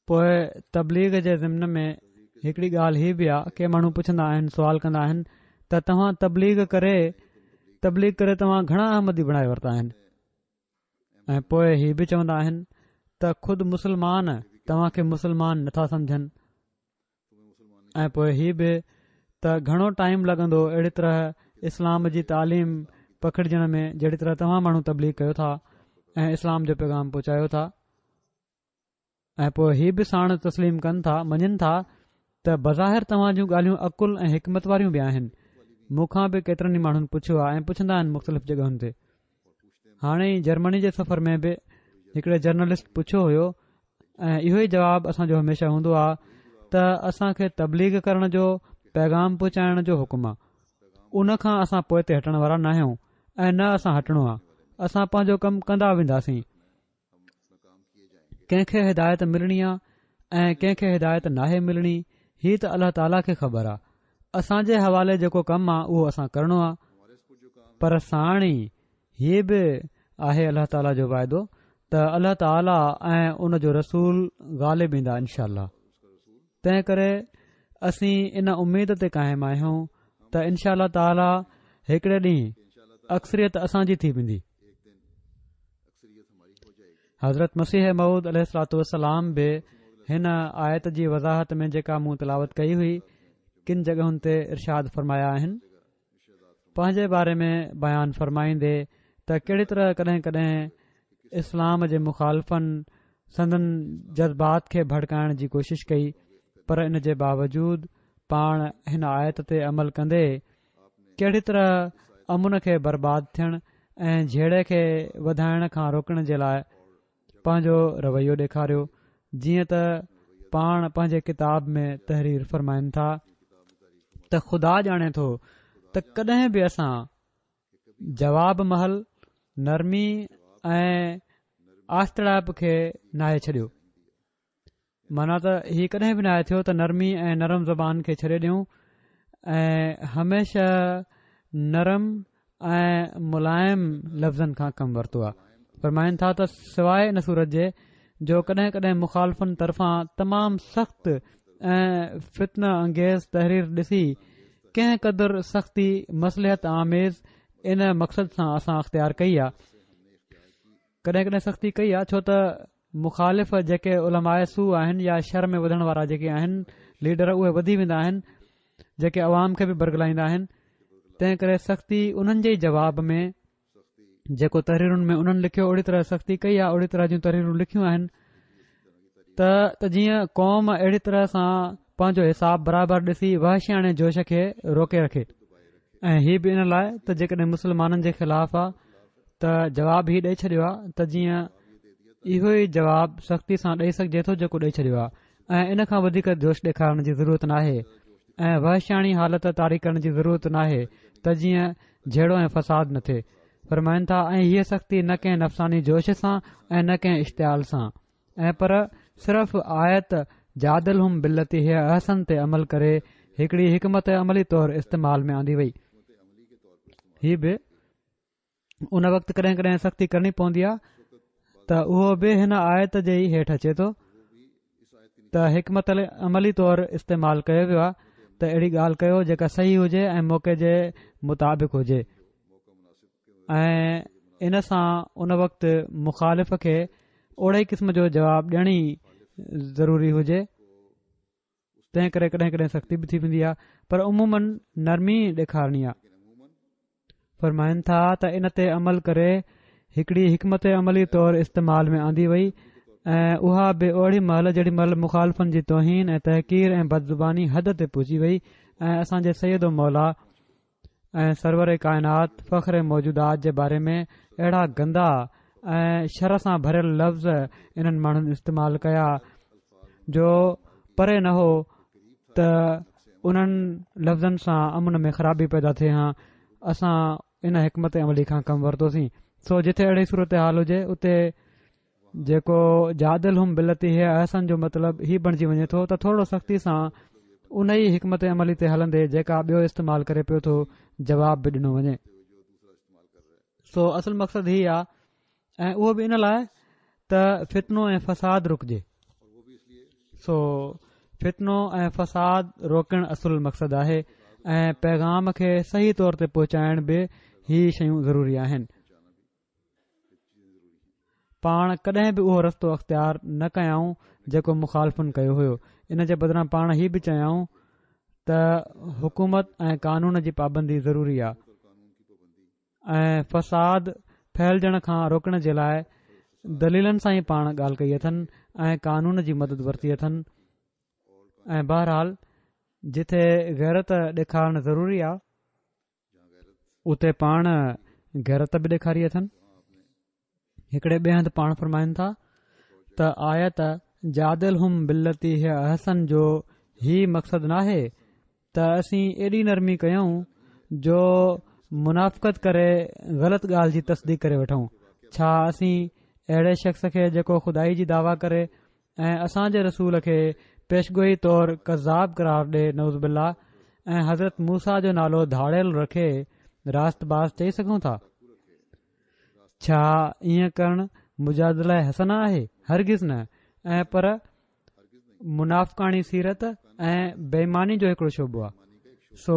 پوء تبليغ جي ضمن ۾ هڪڙي ڳالهه هي به آ ڪي ماڻهو پڇندا آهن سوال ڪندا آهن ته توهان تبليغ ڪري تبليغ ڪري توهان گهڻا احمدي بڻائي ورتا آهن ۽ پوء هي به چوندا آهن ته خود مسلمان توهان کي مسلمان نٿا سمجهن ۽ پوء هي به ته گهڻو ٽائيم لڳندو اهڙي طرح اسلام جي تعليم پکڙجڻ ۾ جهڙي طرح توهان ماڻهو تبليغ ڪيو ٿا ۽ اسلام جو پيغام پهچايو ٿا ۽ پوء هي به ساڻ تسليم ڪن ٿا مڃن ٿا ته بظاهر توهان جون ڳالهيون عقل ۽ حڪمت واريون به آهن مون کان به ڪيترن ئي ماڻهن پڇيو آهي ۽ پڇندا آهن مختلف جڳهن تي هاڻي ئي جرمني جي سفر ۾ به هڪڙي جرنلسٽ پڇيو هيو ۽ اهو ئي جواب اسان جو هميشه هوندو آهي ته اسان کي تبليغ ڪرڻ جو پيغام پهچائڻ جو حڪم آهي ان کان اسان پوئتي هٽڻ وارا ناهيون ۽ نه اسان هٽڻو آهي اسان پنهنجو ڪم ڪندا وينداسين ڪنهن کي هدايت ملڻي آ ۽ ڪنهن کي هدايت ناهي ملڻي هي ته الله تعاليٰ کي خبر آ اسان جي حوالي جيڪو ڪم آ اهو اسان ڪرڻو آ پر ساڻ ئي هي به آهي الله تعاليٰ جو واعدو ته الله تعاليٰ ۽ ان جو رسول غالب ايندا انشاء الله تنهن ڪري اسين ان اميد تي قائم آهيون ته انشاء الله تعاليٰ هڪڙي ڏينهن اڪثريت اسان جي ٿي ويندي حضرت مسيح موعود عليه الصلوٰة والسلام به هن آيت جي وضاحت ۾ جيڪا مون تلاوت ڪئي هئي ڪن جڳهن تي ارشاد فرمايا آهن پنهنجي باري ۾ بيان فرمائيندي ته ڪهڙي طرح ڪڏهن ڪڏهن اسلام جي مخالفن سندن جذبات کي ڀڙڪائڻ جي ڪوشش ڪئي پر ان جي باوجود پاڻ هن آيت تي عمل ڪندي ڪهڙي طرح امن کي برباد ٿيڻ ۽ جهيڙي کي وڌائڻ کان روڪڻ جي لاء پنهنجو رويو ڏيکاريو جيئن ته پاڻ پنهنجي ڪتاب ۾ تحرير فرمائن ٿا ته خدا ڄاڻي ٿو ته ڪڏهن به اسان جواب مهل نرمي ۽ آستڙائپ کي ناهي ڇڏيو معنيٰ ته هي ڪڏهن به ناهي ٿيو ته نرمي ۽ نرم زبان کي ڇڏي ڏيون ۽ هميشه نرم ۽ ملائم لفظن کان ڪم ورتو آهي فرمائن ٿا ته سواء ان صورت جي جو ڪڏهن ڪڏهن مخالفن طرفان تمام سخت ۽ فتنه انگيز تحرير ڏسي ڪنهن قدر سختي مصلحت آميز ان مقصد سان اسان اختيار ڪئي آهي ڪڏهن ڪڏهن سختي ڪئي آهي ڇو ته مخالف جيڪي علماء سوء آهن يا شر ۾ وڌڻ وارا جيڪي آهن ليڊر اهي وڌي ويندا آهن جيڪي عوام کي به برغلائيندا آهن تنهن ڪري سختي انهن جي جواب ۾ جيڪو تحريرن ۾ انهن لکيو اهڙي طرح سختي ڪئي آهي اهڙي طرح جون تحريرون لکيون آهن ته ته جيئن قوم اهڙي طرح سان پنهنجو حساب برابر ڏسي وحشياڻي جوش کي روڪي رکي ۽ هي به ان لاء ته جيڪڏهن مسلمانن جي خلاف آ ته جواب هي ڏئي ڇڏيو آ ته جيئن اهو ئي جواب سختي سان ڏئي سگهجي ٿو جيڪو ڏئي ڇڏيو آ ۽ ان کان وڌيڪ جوش ڏيکارڻ جي ضرورت ناهي ۽ وحشياڻي حالت طاري ڪرڻ جي ضرورت ناهي ته جيئن جهيڙو ۽ فساد نه ٿئي. فرمائن ٿا، ۽ هيء سختي نه ڪنهن نفساني جوش سان ۽ نه ڪنهن اشتعال سان ۽ پر صرف آيت جادلهم بالتي هي احسن تي عمل ڪري هڪڙي حڪمت عملي طور استعمال ۾ آندي وئي. هي به ان وقت ڪڏهن ڪڏهن سختي ڪرڻي پوندي آهي ته اهو به هن آيت جي ئي هيٺ اچي ٿو. ته حڪمت عملي طور استعمال ڪيو ويو آهي ته اهڙي ڳالهه ڪيو جيڪا صحيح هجي ۽ موقعي جي مطابق هجي ۽ ان سان ان وقت مخالف کي اوڙي قسم جو جواب ڏيڻ ئي ضروري هجي تنهن ڪري ڪڏهن ڪڏهن سختي به ٿي ويندي آهي پر عموماً نرمي ڏيکارڻي آهي فرمائن ٿا ته ان تي عمل ڪري هڪڙي حڪمت عملي طور استعمال ۾ آندي وئي ۽ اها به اوڙي مهل جيڏي مهل مخالفن جي توهين ۽ تحقير ۽ بدزباني حد تي پهچي وئي ۽ اسان جي سيد و مولا ۽ سرور ڪائنات فخر موجودات جي باري ۾ اهڙا گندا ۽ شر سان ڀريل لفظ انهن ماڻهن استعمال ڪيا جو پري نه هو ته انهن لفظن سان امن ۾ خرابي پيدا ٿئي هان اسان ان حڪمت عملي کان ڪم ورتوسين سو جتي اهڙي صورتحال هجي اتي جيڪو جادلهم بالتي هي احسن جو مطلب هي بڻجي وڃي ٿو ته ٿورو سختي سان ان ئي حڪمت عملي تي هلندي جيڪا ٻيو استعمال ڪري پيو ٿو جواب به ڏنو وڃي سو اصل مقصد هي آ ۽ اهو به ان لاء ته فتنو ۽ فساد رڪجي سو فتنو ۽ فساد روڪڻ اصل مقصد آهي ۽ پيغام کي صحيح طور تي پهچائڻ به هي شيون ضروري آهن پاڻ ڪڏهن به اهو رستو اختيار نه ڪيائون جيڪو مخالفن ڪيو هيو ان جي بدران پاڻ هي به چيائون ته حڪومت ۽ قانون جي پابندي ضروري آهي ۽ فساد ڦهلجڻ کان روڪڻ جي لاء دليلن سان ئي پاڻ ڳالهه ڪئي اٿن ۽ قانون جي مدد ورتي اٿن ۽ بهرحال جتي غيرت ڏيکارڻ ضروري آ اتي پاڻ غيرت به ڏيکاري اٿن هڪڙي ٻئي هنڌ پاڻ فرمائن ٿا ته آيت جادلهم بالتي هي احسن جو هي مقصد ناهي ته اسين ايڏي نرمي ڪيون جو منافقت ڪري غلط ڳالهه جي تصديق ڪري وٺون ڇا اسين اهڙي شخص کي جيڪو خدائي جي دعويٰ ڪري ۽ اسان جي رسول کي پيشگوئي طور ڪذاب قرار ڏي نعوذ بالله ۽ حضرت موسيٰ جو نالو ڌاڙيل رکي راست باز چئي سگهون ٿا ڇا ائين ڪرڻ مجادله حسنه آهي؟ هرگز نه ۽ پر منافقاڻي سيرت ۽ بي ايماني جو هڪڙو شعبو آهي سو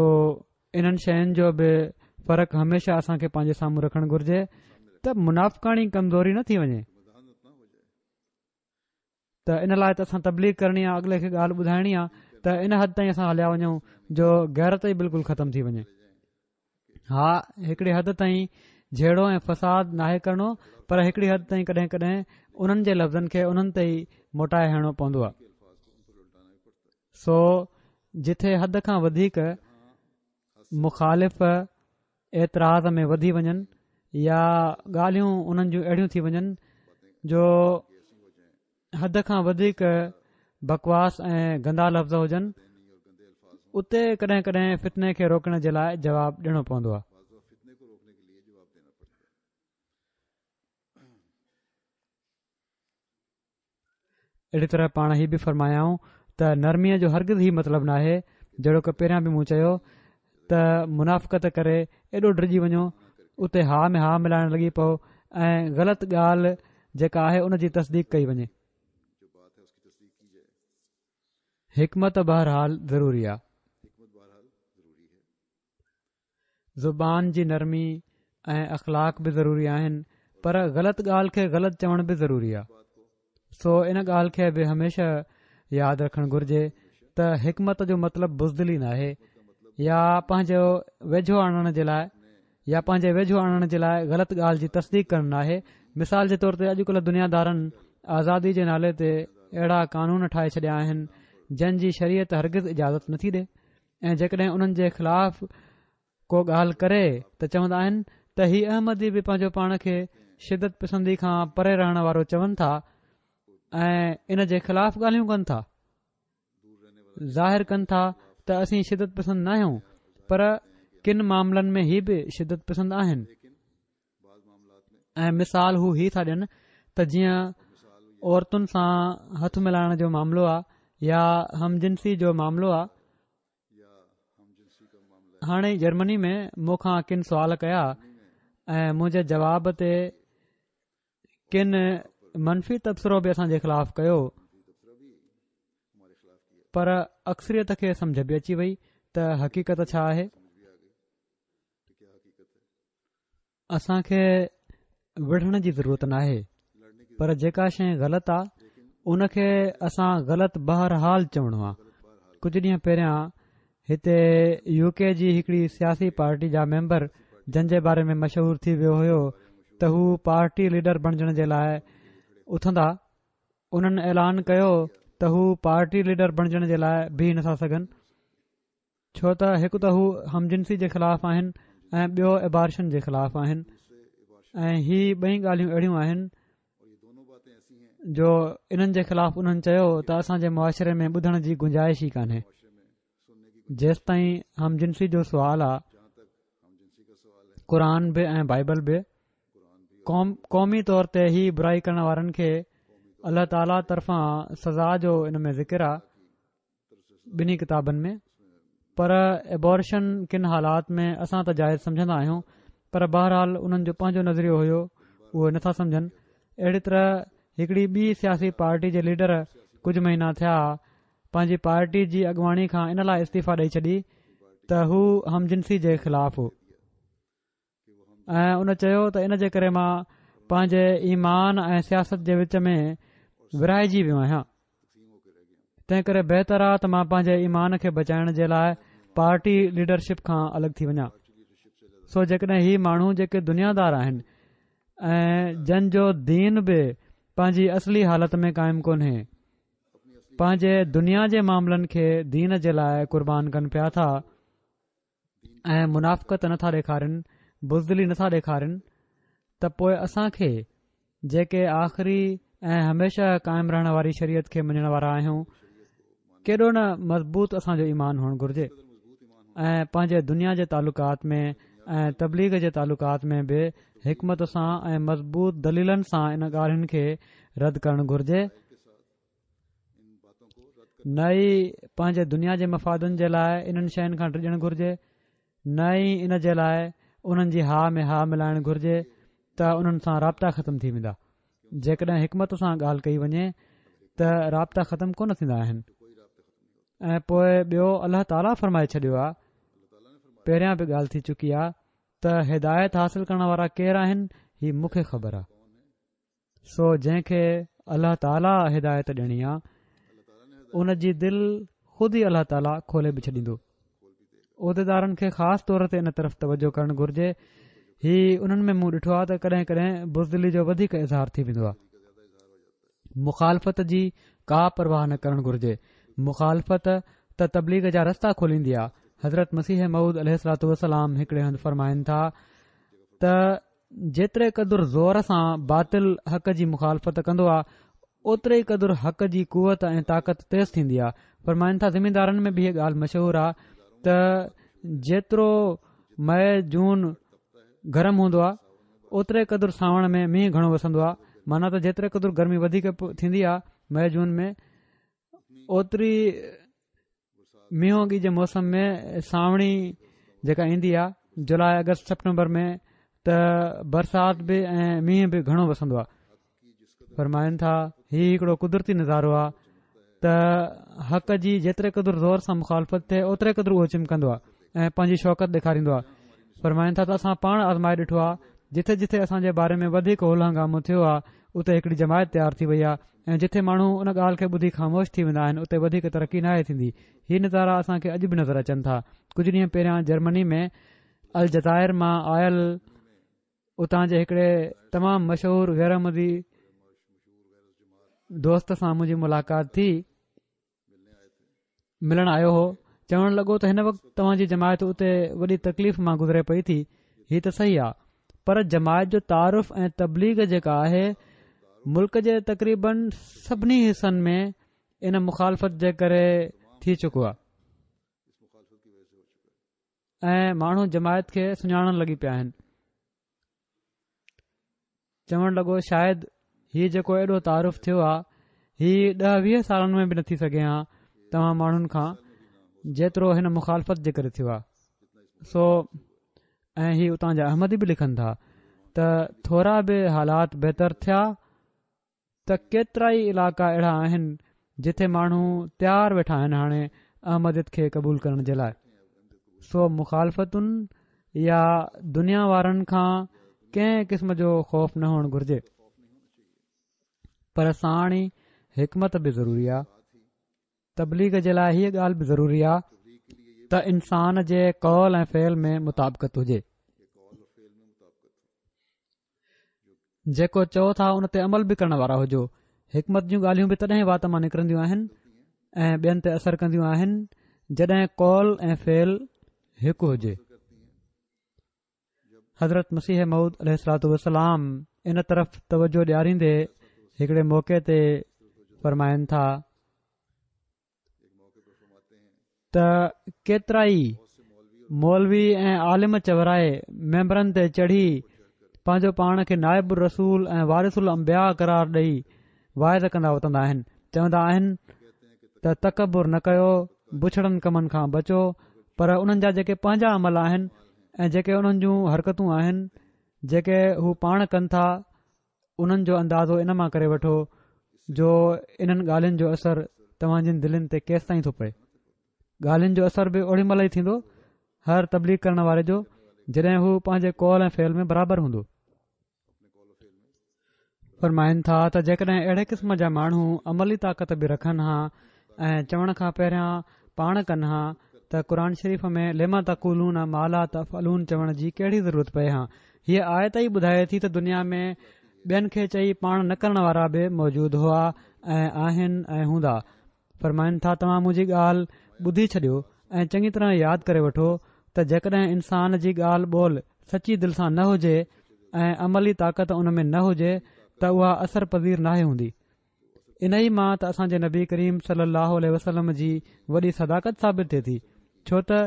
انهن شين جو به فرق هميشه اسان کي پنهنجي سامهون رکڻ گهرجي ته منافقاڻي ڪمزوري نه ٿي وڃي ته ان لاء ته اسان تبليغ ڪرڻي آ اڳلي کي ڳالهه ٻڌائڻي آ ته ان حد تائين اسان هليا وڃون جو غيرت ئي بلڪل ختم ٿي وڃي ها هڪڙي حد تائين جهيڙو ۽ فساد ناهي ڪرڻو پر هڪڙي حد تائين ڪڏهن ڪڏهن انهن جي لفظن کي انهن تي ئي موٽائي هڻڻو پوندو آ سو جٿي حد کان وڌيڪ مخالف اعتراض ۾ وڌي وڃن يا ڳالهيون انهن جون اهڙيون ٿي وڃن جو حد کان وڌيڪ بڪواس ۽ گندا لفظ هجن اتي ڪڏهن ڪڏهن فتني کي روڪڻ جي لاء جواب ڏيڻو پوندو آهي. اهڙي طرح پاڻ هي به فرمايائون ته نرميء جو هرگز هي مطلب ناهي جهڙوڪ پهريان به مون چيو ته منافقت ڪري ايڏو ڊڄي وڃو اتي ها ۾ ها ملائڻ لڳي پئو ۽ غلط ڳالهه جيڪا آهي ان جي تصديق ڪئي وڃي. حڪمت بهرحال ضروري آهي. زبان جي نرمي ۽ اخلاق به ضروري آهن پر غلط ڳالهه کي غلط چوڻ به ضروري آهي سو ان ڳالهه کي به هميشه ياد رکڻ گهرجي. ته حڪمت جو مطلب بزدلي ناهي يا پنهنجو ويجهو آڻڻ جي لاء يا پنهنجي ويجهو آڻڻ جي لاء غلط ڳالهه جي تصديق ڪرڻ ناهي. مثال جي طور تي اڄڪلهه دنيا دارن آزادي جي نالي تي اهڙا قانون ٺاهي ڇڏيا آهن جن جي شريعت هرگز اجازت نٿي ڏي ۽ جيڪڏهن انهن جي خلاف ڪو ڳالهه ڪري ته چوندا آهن ته هي احمدي به پنهنجو پاڻ کي شدت پسندي کان پري رهڻ وارو چون ٿا ۽ ان جي خلاف ڳالهيون ڪن ٿا. ظاهر ڪن ٿا ته اسين شدت پسند ناهيون پر ڪن معاملن ۾ هي به شدت پسند آهن. ۽ مثال هو هي ٿا ڏين ته جيئن عورتن سان هٿ ملائڻ جو معاملو آ يا هم جنسي جو معاملو آ. هاڻي جرمني ۾ مون کان ڪن سوال ڪيا ۽ منهنجي جواب تي ڪن منفي تبصرو به اسان جي خلاف ڪيو پر اڪثريت کي سمجه به اچي وئي ته حقيقت ڇا آهي. اسان کي وڙهڻ جي ضرورت ناهي پر جيڪا شيء غلط آ ان کي اسان غلط بهرحال چوڻو آ. ڪجهه ڏينهن پهريان هتي يو ڪي جي هڪڙي سياسي پارٽي جا ميمبر جن جي باري ۾ مشهور ٿي ويو هيو ته هو پارٽي ليڊر بڻجڻ جي لاء اٿندا انهن اعلان ڪيو ته هو پارٽي ليڊر بڻجڻ جي لاء بيهي نٿا سگهن. ڇو ته هڪ ته هو هم جنسي جي خلاف آهن ۽ ٻيو ابارشن جي خلاف آهن ۽ هي ٻئي ڳالهيون اهڙيون آهن جو انهن جي خلاف انهن چيو ته اسان جي معاشري ۾ ٻڌڻ جي گنجائش ئي ڪانهي. جيستائين هم جنسي جو سوال آ قرآن به ۽ بائبل به قومي طور تي هي برائي ڪرڻ وارن کي الله تعاليٰ طرفان سزا جو ان ۾ ذڪر آ. ٻنهي ڪتابن ۾ پر ابارشن ڪن حالات ۾ اسان ته جائز سمجهندا آهيون پر بهرحال انهن جو پنهنجو نظريو هيو اهو نٿا سمجهن. اهڙي طرح هڪڙي ٻي سياسي پارٽي جي ليڊر ڪجهه مهينا ٿيا پنهنجي پارٽي جي اڳواڻي کان ان لاء استعيفا ڏئي ڇڏي ته هو هم جنسي جي خلاف هو. ۽ ان چيو ته ان جي ڪري مان پنهنجي ايمان ۽ سياست جي وچ ۾ ورهائجي ويو آهيان تنهن ڪري بهتر آ ته مان پنهنجي ايمان کي بچائڻ جي لاء پارٽي ليڊرشپ کان الڳ ٿي وڃان. سو جيڪڏهن هي ماڻهو جيڪي دنيا دار آهن ۽ جن جو دين به پنهنجي اصلي حالت ۾ قائم ڪونهي پنهنجي دنيا جي معاملن کي دين جي لاء قربان ڪن پيا ٿا ۽ منافقت نٿا ڏيکارين، بزدلي نٿا ڏيکارين ته پوء اسان کي جيڪي آخري ۽ هميشه قائم رهڻ واري شريعت کي مڃڻ وارا آهيون ڪيڏو نه مضبوط اسان جو ايمان هئڻ گهرجي ۽ پنهنجي دنيا جي تعلقات ۾ ۽ تبليغ جي تعلقات ۾ به حڪمت سان ۽ مضبوط دليلن سان ان ڳالهين کي رد ڪرڻ گهرجي. نه ئي پنهنجي دنيا جي مفادن جي لاء انهن شين کان ڊڄڻ گهرجي نه ئي ان جي لاء انهن جي ها ۾ ها ملائڻ گهرجي ته انهن سان رابطا ختم ٿي ويندا. جيڪڏهن حڪمت سان ڳالهه ڪئي وڃي ته رابطا ختم ڪونه ٿيندا آهن. ۽ پوء ٻيو الله تعاليٰ فرمائي ڇڏيو آهي پهريان به ڳالهه ٿي چڪي آهي ته هدايت حاصل ڪرڻ وارا ڪير آهن هي مون کي خبر آهي. سو جنهن کي الله تعاليٰ هدايت ڏيڻي آ ان جي دل خود ئي الله تعاليٰ کولي به ڇڏيندو. عهديدارن کي خاص طور تي ان طرف توجه ڪرڻ گهرجي. هي انهن ۾ مون ڏٺو آ ته ڪڏهن ڪڏهن بزدلي جو وڌيڪ اظهار ٿي ويندو آ. مخالفت جي ڪا پرواهه نه ڪرڻ گهرجي. مخالفت ته تبليغ جا رستا کوليندي آ. حضرت مسيح موعود عليه الصلوة والسلام هڪڙي هنڌ فرمائن ٿا ته جيتري قدر زور سان باطل حق جي مخالفت ڪندو آ اوتري ئي قدر حق جي قوت ۽ طاقت تيز ٿيندي آ. فرمائن ٿا زميندارن ۾ به هيء ڳالهه مشهور آ ته جيترو مئي جون گرم هوندو آ اوتري قدر سانوڻ ۾ مينهن گهڻو وسندو آ معنيٰ ته جيتري قدر گرمي وڌيڪ ٿيندي آ مئي جون ۾ اوتري مينهوڳي جي موسم ۾ سانوڻي جيڪا ايندي آهي جولاء آگسٽ سيپٽمبر ۾ ته برسات به ۽ مينهن به گهڻو وسندو آهي. فرمائن ٿا هي هڪڙو قدرتي نظارو آهي ته حق جي جيتري قدر زور سان مخالفت ٿئي اوتري قدر اهو چمڪندو آهي ۽ پنهنجي شوڪت ڏيکاريندو آهي. فرمائن ٿا ته اسان پاڻ آزمائي ڏٺو آهي. جٿي جٿي اسان جي باري ۾ وڌيڪ هل هنگامو ٿيو آ اتي هڪڙي جماعت تيار ٿي وئي آ ۽ جٿي ماڻهو ان ڳالهه کي ٻڌي خاموش ٿي ويندا آهن اتي وڌيڪ ترقي ناهي ٿيندي. هي نظارا اسان کي اڄ به نظر اچن ٿا. ڪجهه ڏينهن پهريان جرمني ۾ الجزائر مان آيل اتان جي هڪڙي تمام مشهور غير احمدي دوست سان منهنجي ملاقات ٿي. ملڻ آيو هو چوڻ لڳو ته هن وقت توهان جي جماعت اتي وڏي تڪليف مان گذري پئي ٿي هي ته صحيح آ پر جماعت جو تعارف ۽ تبليغ جيڪا آهي ملڪ جي تقريبن سڀني حصن ۾ ان مخالفت جي ڪري ٿي چڪو آ ۽ ماڻهو جماعت کي سڃاڻڻ لڳي پيا آهن چوڻ لڳو شايد هي جيڪو ايڏو تعارف ٿيو آ هي ڏهه ويهه سالن ۾ به نه ٿي سگهي ها توهان ماڻهن کان جيترو هن مخالفت جي ڪري ٿيو آ سو ۽ هي اتان جا احمدي به لکن ٿا ته ٿورا به حالات بهتر ٿيا ته ڪيترائي علائقا اهڙا آهن جتي ماڻهو تيار ويٺا آهن هاڻي احمديت کي قبول ڪرڻ جي لاء سو مخالفتن يا دنيا وارن کان ڪنهن قسم جو خوف نه هئڻ گهرجي پر ساڻ ئي حڪمت به ضروري آهي تبليغ جي لاء هيء ڳالهه به ضروري آهي ته انسان جي قول ۽ فعل ۾ مطابقت هجي جيڪو چئو ٿا ان تي عمل به ڪرڻ وارا هجو حڪمت جون ڳالهيون به تڏهن وات مان نڪرنديون آهن ۽ ٻين تي اثر ڪنديون آهن جڏهن قول ۽ فعل هڪ هجي حضرت مسيح موعود عليه الصلوٰة والسلام ان طرف توجه ڏياريندي هڪڙي موقعي تي فرمائن ٿا ته ڪيترائي مولوي ۽ عالم چورائي منبرن تي چڙهي پنهنجو پاڻ کي نائب الرسول ۽ وارث الانبياء قرار ڏئي واعظ ڪندا وتندا آهن چوندا آهن ته تڪبر نه ڪيو بڇڙن ڪمن کان بچو پر انهن جا جيڪي پنهنجا عمل آهن ۽ جيڪي انهن جون حرڪتون آهن جيڪي هو پاڻ ڪن ٿا انهن جو اندازو ان مان ڪري وٺو جو انهن ڳالهين جو اثر توهان جن دلين تي ڪيستائين ٿو پئي ڳالهين جو اثر به اوڏي مهل ئي ٿيندو هر تبليغ ڪرڻ واري جو جڏهن هو پنهنجي قول ۽ فعل ۾ برابر هوندو فرمائن ٿا ته جيڪڏهن اهڙي قسم جا ماڻهو عملي طاقت به رکن ها ۽ چوڻ کان پهريان پاڻ ڪن ها ته قرآن شريف ۾ لم تقولون ما لا تفعلون چوڻ جي ڪهڙي ضرورت پئي ها هيء آيت ئي ٻڌائي ٿي ته دنيا ۾ ٻين کي چئي پاڻ نه ڪرڻ وارا به موجود هئا ۽ آهن ۽ هوندا فرمائن ٿا توهان منهنجي ڳالهه ٻڌي ڇڏيو ۽ چڱي طرح ياد ڪري وٺو ته جيڪڏهن انسان جي ڳالهه ٻولهه سچي دل سان نه هجي ۽ عملي طاقت ان ۾ نه هجي ته اها اثر پذير ناهي هوندي انهي مان ته اسان جي نبي ڪريم صلي الله عليه وسلم جي وڏي صداقت ثابت ٿئي ٿي ڇو ته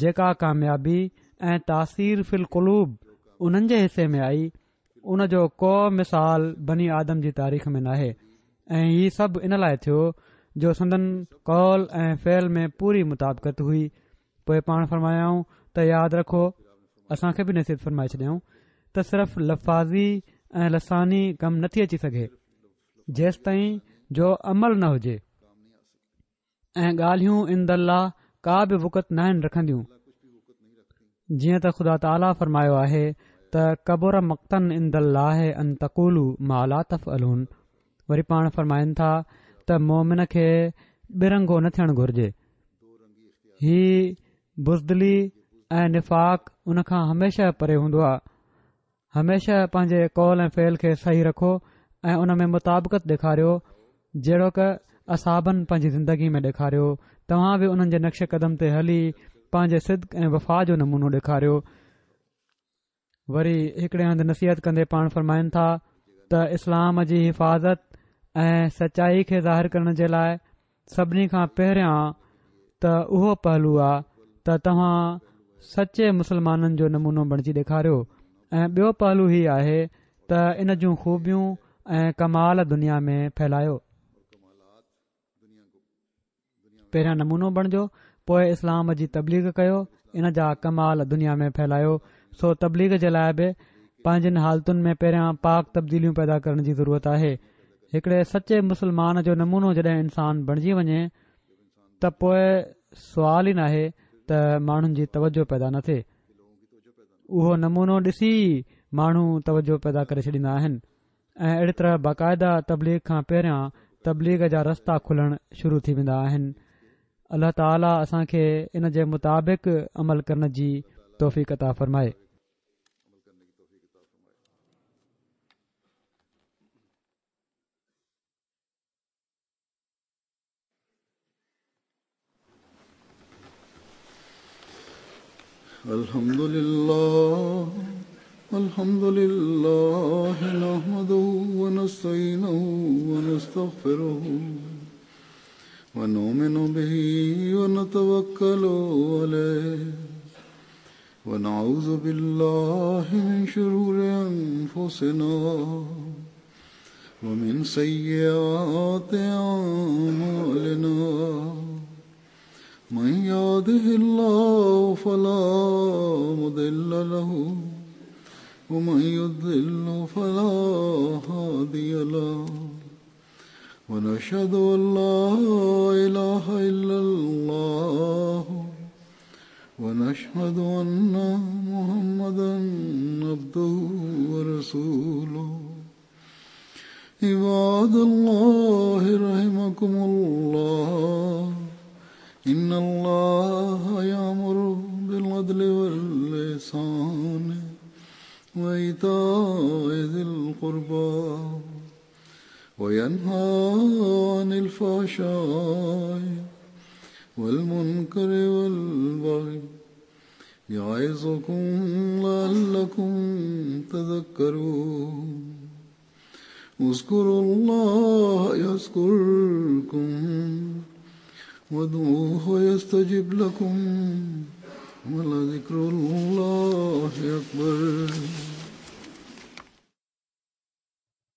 جيڪا ڪاميابي ۽ تاثير في القلوب انهن جي حصي ۾ آئي ان جو ڪو مثال بني آدم جي تاريخ ۾ ناهي ۽ هي سڀ ان لاء ٿيو جو سندن قول ۽ فعل ۾ پوري مطابقت هئي پوء پاڻ فرمايائون ته ياد رکو اسان کي به نصيحت فرمائي ڇڏيائون ته صرف لفاظي ۽ لساني ڪم نٿي اچي سگهي جيستائين جو عمل نه هجي ۽ ڳالهيون عند الله ڪا به وقعت ناهن رکنديون جيئن ته خدا تعاليٰ فرمايو آهي ته ڪبر مقتا عند الله ان تقولوا ما لا تفعلون وري پاڻ فرمائن ٿا ته مومن کي ٻه رنگو نه ٿيڻ گهرجي هي بزدلي ۽ نفاق ان کان هميشه پري هوندو آهي هميشه پنهنجي قول ۽ فعل کي صحيح رکو ۽ ان ۾ مطابقت ڏيکاريو جهڙوڪ اصحابن پنهنجي زندگي ۾ ڏيکاريو توهان به انهن جي نقش قدم تي هلي پنهنجي صدق ۽ وفا جو نمونو ڏيکاريو وري هڪڙي هنڌ نصيحت ڪندي پاڻ فرمائن ٿا ته اسلام جي حفاظت ۽ سچائي کي ظاهر ڪرڻ جي لاء سڀني کان پهريان ته اهو پهلو آ ته توهان سچي مسلمانن جو نمونو بڻجي ڏيکاريو ۽ ٻيو پهلو هي آهي ته ان جون خوبيون ۽ ڪمال دنيا ۾ ڦهلايو. پهريان نمونو بڻجو پوء اسلام جي تبليغ ڪيو ان جا ڪمال دنيا ۾ ڦهلايو سو تبليغ جي لاء به پنهنجين حالتن ۾ پهريان پاڪ تبديليون پيدا ڪرڻ جي ضرورت آهي هڪڙي سچي مسلمان جو نمونو جڏهن انسان بڻجي وڃي ته پوء سوال ئي ناهي ته ماڻهن جي توجه پيدا نه ٿئي اهو نمونو ڏسي ئي ماڻهو توجه پيدا ڪري ڇڏيندا آهن ۽ اهڙي طرح باقاعده تبليغ کان پهريان تبليغ جا رستا کلڻ شروع ٿي ويندا آهن. الله تعالي اسان کي ان جي مطابق عمل ڪرڻ جي توفيق عطا فرمائي. الحمد لله الحمد لله نحمده ونستعينه ونستغفره ونؤمن به ونتوكل عليه ونعوذ بالله من شرور أنفسنا ومن سيئات أعمالنا من يهده الله فلا مضل له ومن يضلل فلا هادي له ونشهد أن لا إله إلا الله ونشهد أن محمدا عبده ورسوله عباد الله رحمكم الله إن الله يأمر بالعدل والإحسان وإيتاء ذي القربى وينهى عن الفحشاء والمنكر والبغي يعظكم لعلكم تذكرون اذكروا الله يذكركم وادعوه يستجب لكم ولذكر الله أكبر.